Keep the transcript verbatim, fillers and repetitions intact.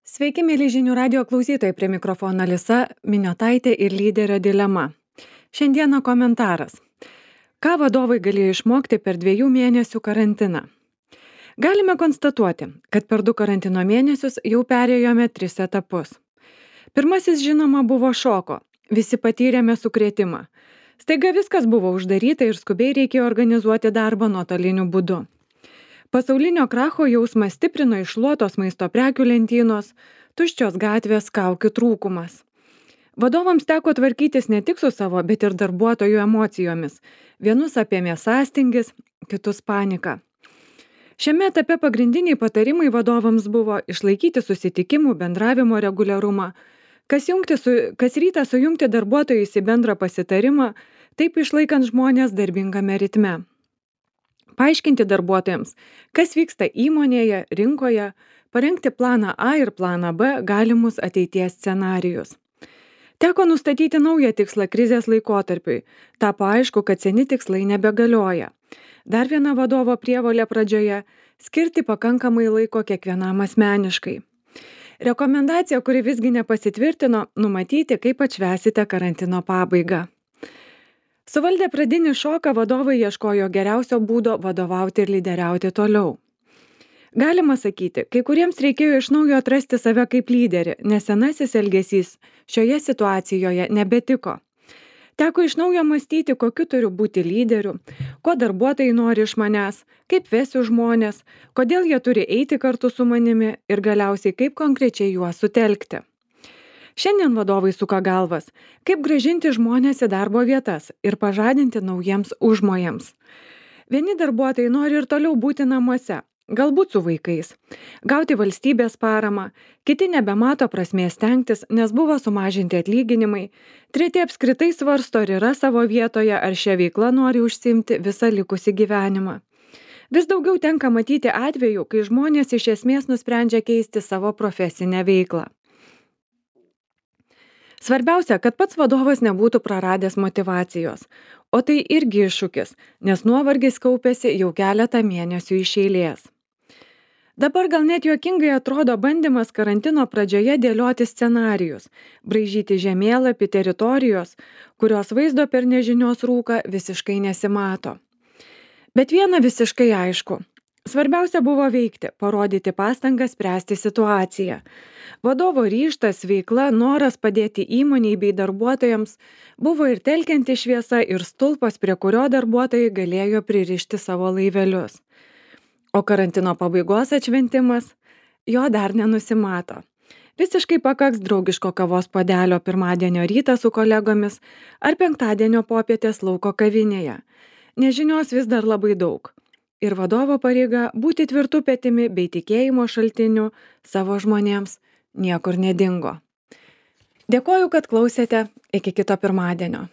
Sveiki, mėly žinių radio klausytojai, prie mikrofono Alisa Miniotaitė ir lyderio dilema. Šiandieną komentaras. Ką vadovai galėjo išmokti per dviejų mėnesių karantiną? Galime konstatuoti, kad per du karantino mėnesius jau perėjome tris etapus. Pirmasis, žinoma, buvo šoko. Visi patyrėme sukrėtimą. Staiga viskas buvo uždaryta ir skubiai reikėjo organizuoti darbą nuotoliniu būdu. Pasaulinio kracho jausmą stiprino iššluotos maisto prekių lentynos, tuščios gatvės, kaukių trūkumas. Vadovams teko tvarkytis ne tik su savo, bet ir darbuotojų emocijomis. Vienus apėmė sąstingis, kitus panika. Šiame etape pagrindiniai patarimai vadovams buvo išlaikyti susitikimų bendravimo reguliarumą, kas, jungti su, kas rytą sujungti darbuotojus į bendrą pasitarimą, taip išlaikant žmonės darbingame ritme. Paaiškinti darbuotojams, kas vyksta įmonėje, rinkoje, parengti planą A ir planą B galimus ateities scenarijus. Teko nustatyti naują tikslą krizės laikotarpiui. Tapo aišku, kad seni tikslai nebegalioja. Dar viena vadovo prievolė pradžioje - skirti pakankamai laiko kiekvienam asmeniškai. Rekomendacija, kuri visgi nepasitvirtino, numatyti, kaip atšvęsite karantino pabaigą. Suvaldę pradinį šoką, vadovai ieškojo geriausio būdo vadovauti ir lyderiauti toliau. Galima sakyti, kai kuriems reikėjo iš naujo atrasti save kaip lyderį, nes senasis elgesys šioje situacijoje nebetiko. Teko iš naujo mąstyti, kokiu turiu būti lyderiu, ko darbuotojai nori iš manęs, kaip vesiu žmonės, kodėl jie turi eiti kartu su manimi ir galiausiai kaip konkrečiai juos sutelkti. Šiandien vadovai suka galvas, kaip grąžinti žmonės į darbo vietas ir pažadinti naujiems užmojams. Vieni darbuotojai nori ir toliau būti namuose, galbūt su vaikais, gauti valstybės paramą, kiti nebemato prasmės stengtis, nes buvo sumažinti atlyginimai, treti apskritai svarsto, ar yra savo vietoje, ar šią veiklą nori užsiimti visą likusį gyvenimą. Vis daugiau tenka matyti atvejų, kai žmonės iš esmės nusprendžia keisti savo profesinę veiklą. Svarbiausia, kad pats vadovas nebūtų praradęs motyvacijos, o tai irgi iššūkis, nes nuovargis kaupėsi jau keletą mėnesių iš eilės. Dabar gal net juokingai atrodo bandymas karantino pradžioje dėlioti scenarijus, braižyti žemėlapį teritorijos, kurios vaizdo per nežinios rūką visiškai nesimato. Bet viena visiškai aišku. Svarbiausia buvo veikti, parodyti pastangas spręsti situaciją. Vadovo ryžtas, veikla, noras padėti įmoniai bei darbuotojams buvo ir telkianti šviesa, ir stulpas, prie kurio darbuotojai galėjo pririšti savo laivelius. O karantino pabaigos atšventimas, jo dar nenusimato. Visiškai pakaks draugiško kavos puodelio pirmadienio rytą su kolegomis ar penktadienio popietės lauko kavinėje. Nežinios vis dar labai daug. Ir vadovo pareiga būti tvirtų petimi bei tikėjimo šaltiniu savo žmonėms niekur nedingo. Dėkoju, kad klausėte. Iki kito pirmadienio.